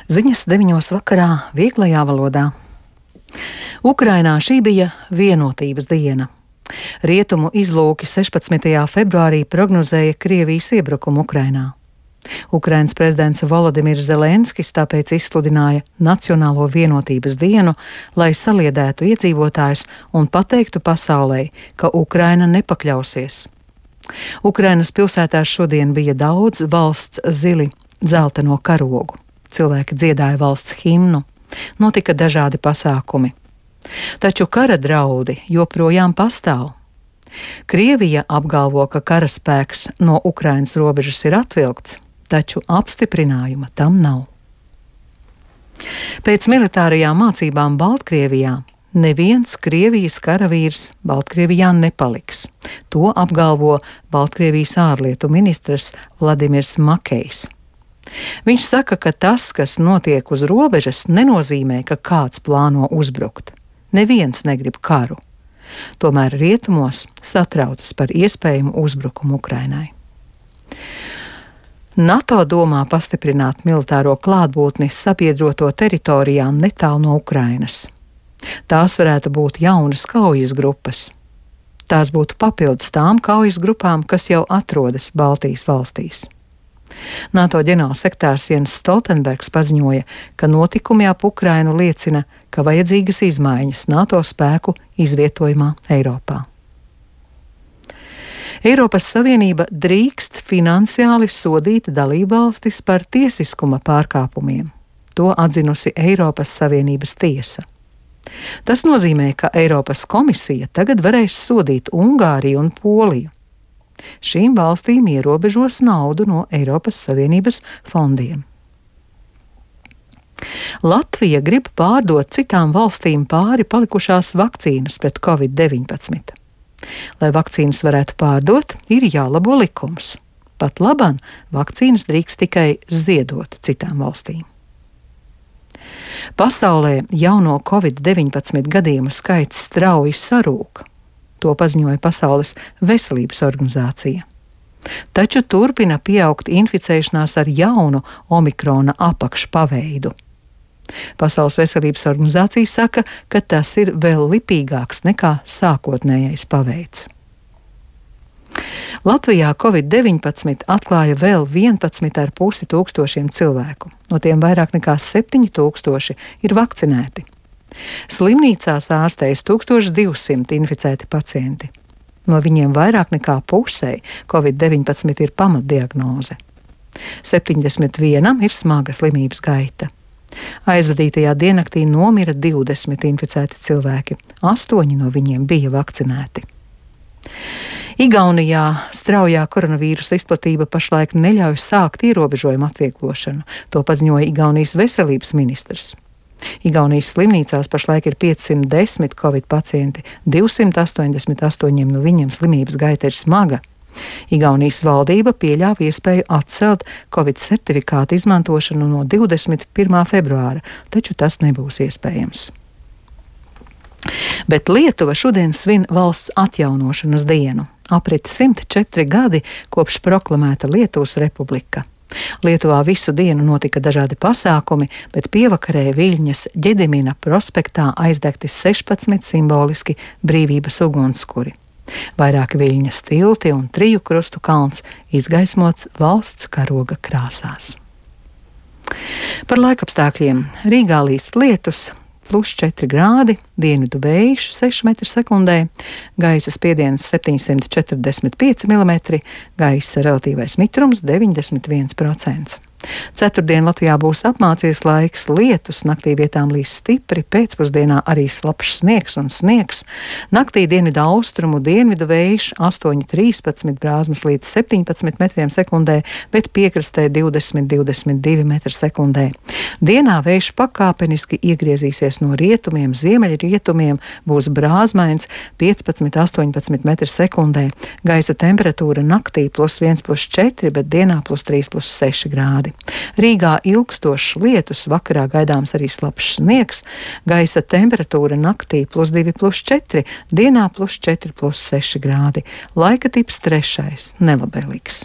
Ziņas 9 vakarā vieglajā valodā. Ukrainā šī bija vienotības diena. Rietumu izlūki 16. februārī prognozēja Krievijas iebrukumu Ukrainā. Ukrainas prezidents Volodimirs Zelenskis tāpēc izsludināja Nacionālo vienotības dienu, lai saliedētu iedzīvotājus un pateiktu pasaulei, ka Ukraina nepakļausies. Ukrainas pilsētās šodien bija daudz valsts zili dzelteno karogu. Cilvēki dziedāja valsts himnu, notika dažādi pasākumi. Taču kara draudi joprojām pastāv. Krievija apgalvo, ka karaspēks no Ukrainas robežas ir atvilkts, taču apstiprinājuma tam nav. Pēc militārajām mācībām Baltkrievijā neviens Krievijas karavīrs Baltkrievijā nepaliks. To apgalvo Baltkrievijas ārlietu ministrs Vladimirs Makejs. Viņš saka, ka tas, kas notiek uz robežas, nenozīmē, ka kāds plāno uzbrukt. Neviens negrib karu. Tomēr rietumos satraucas par iespējamu uzbrukumu Ukrainai. NATO domā pastiprināt militāro klātbūtni sabiedroto teritorijām netālu no Ukrainas. Tās varētu būt jaunas kaujas grupas. Tās būtu papildus tām kaujas grupām, kas jau atrodas Baltijas valstīs. NATO ģenerālsekretārs Jens Stoltenbergs paziņoja, ka notikumi ap Ukrainu liecina, ka vajadzīgas izmaiņas NATO spēku izvietojumā Eiropā. Eiropas Savienība drīkst finansiāli sodīt dalībvalstis par tiesiskuma pārkāpumiem. To atzinusi Eiropas Savienības tiesa. Tas nozīmē, ka Eiropas komisija tagad varēs sodīt Ungāriju un Poliju. Šīm valstīm ierobežos naudu no Eiropas Savienības fondiem. Latvija grib pārdot citām valstīm pāri palikušās vakcīnas pret Covid-19. Lai vakcīnas varētu pārdot, ir jālabo likums. Pat labāk vakcīnas drīkst tikai ziedot citām valstīm. Pasaulē jauno Covid-19 gadījumu skaits strauji sarūk. To paziņoja Pasaules veselības organizācija. Taču turpina pieaugt inficēšanās ar jaunu omikrona apakšpaveidu. Pasaules veselības organizācija saka, ka tas ir vēl lipīgāks nekā sākotnējais paveids. Latvijā Covid-19 atklāja vēl 11,5 tūkstošiem cilvēku. No tiem vairāk nekā 7,000 ir vakcinēti. Slimnīcās ārstējas 1200 inficēti pacienti. No viņiem vairāk nekā pusei Covid-19 ir pamatdiagnoze. 71 ir smaga slimības gaita. Aizvadītajā diennaktī nomira 20 inficēti cilvēki, 8 no viņiem bija vakcinēti. Igaunijā straujā koronavīrusa izplatība pašlaik neļauj sākt ierobežojumu atvieglošanu. To paziņoja Igaunijas veselības ministrs. Igaunijas slimnīcās pašlaik ir 510 covid pacienti, 288 no viņiem slimības gaita ir smaga. Igaunijas valdība pieļāva iespēju atcelt covid certifikātu izmantošanu no 21. februāra, taču tas nebūs iespējams. Bet Lietuva šodien svin valsts atjaunošanas dienu. Aprit 104 gadi kopš proklamēta Lietuvas republika. Lietuvā visu dienu notika dažādi pasākumi, bet pievakarē Viļņas Ģedimina prospektā aizdegti 16 simboliski brīvības ugunskuri. Vairāki Viļņas tilti un 3 krustu kalns izgaismots valsts karoga krāsās. Par laikapstākļiem. Rīgā līst lietus, +4 grādi, dienvidu vējš 6 m/sekundē, gaisa spiediens 745 mm, gaisa relatīvais mitrums 91%. Ceturtdien Latvijā būs apmācies laiks, lietus, naktī vietām līs stipri, pēcpusdienā arī slapjš sniegs un sniegs. Naktī dienvidu austrumu, dienvidu vējš 8,13 brāzmas līdz 17 m/sekundē, bet piekrastē 20–22 m/sekundē. Dienā vējš pakāpeniski iegriezīsies no rietumiem, ziemeļrietumiem, būs brāzmains 15–18 m/sekundē. Gaisa temperatūra naktī +1–+4, bet dienā +3–+6 grādi. Rīgā ilgstošs lietus, vakarā gaidāms arī slapjš sniegs, gaisa temperatūra naktī +2–+4, dienā +4–+6 grādi. Laika tips 3. nelabvēlīgs.